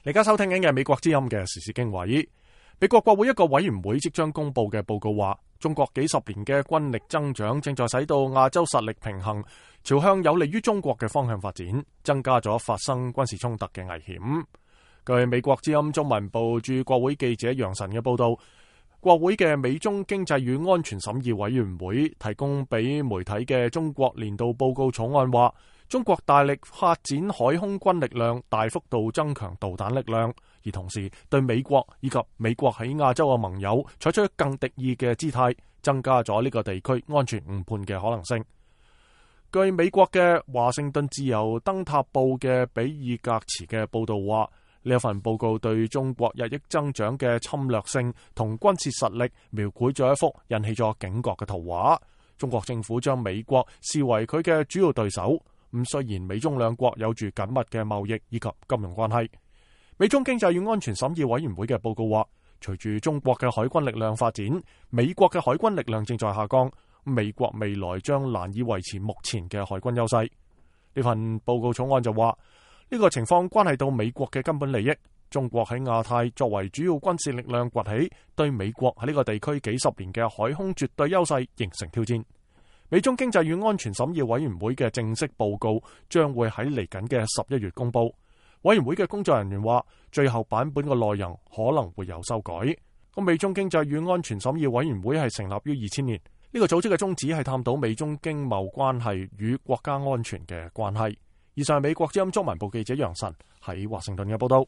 你而家收聽緊嘅美國之音嘅時事經緯。美國國會一個委員會即將公布嘅報告話，中國幾十年嘅軍力增長正在使到亞洲實力平衡朝向有利於中國嘅方向發展，增加咗發生軍事衝突嘅危險。據美國之音中文部駐國會記者楊晨嘅報道，國會嘅美中經濟與安全審議委員會提供俾媒體嘅中國年度報告草案話，中國大力發展海空軍力量，大幅度增強導彈力量，而同時對美國以及美國喺亞洲嘅盟友採取更敵意嘅姿態，增加咗呢個地區安全誤判嘅可能性。據美國嘅華盛頓自由燈塔報嘅比爾格茨嘅報道話，呢一份報告對中國日益增長嘅侵略性同軍事實力描繪咗一幅引起咗警覺嘅圖畫。中國政府將美國視為佢嘅主要對手。咁雖然美中兩國有住緊密嘅貿易以及金融關係，美中經濟與安全審議委員會嘅報告話，隨住中國嘅海軍力量發展，美國嘅海軍力量正在下降，美國未來將難以維持目前嘅海軍優勢。呢份報告草案就話，呢個情況關係到美國嘅根本利益。中國喺亞太作為主要軍事力量崛起，對美國喺呢個地區幾十年嘅海空絕對優勢形成挑戰。美中經濟與安全審議委員會嘅正式報告將會喺嚟緊嘅11月公布。委員會嘅工作人員話，最後版本嘅內容可能會有修改。美中經濟與安全審議委員會係成立於2000年，呢個組織嘅宗旨係探討美中經貿關係與國家安全嘅關係。以上係美國之音中文部記者楊晨喺華盛頓嘅報道。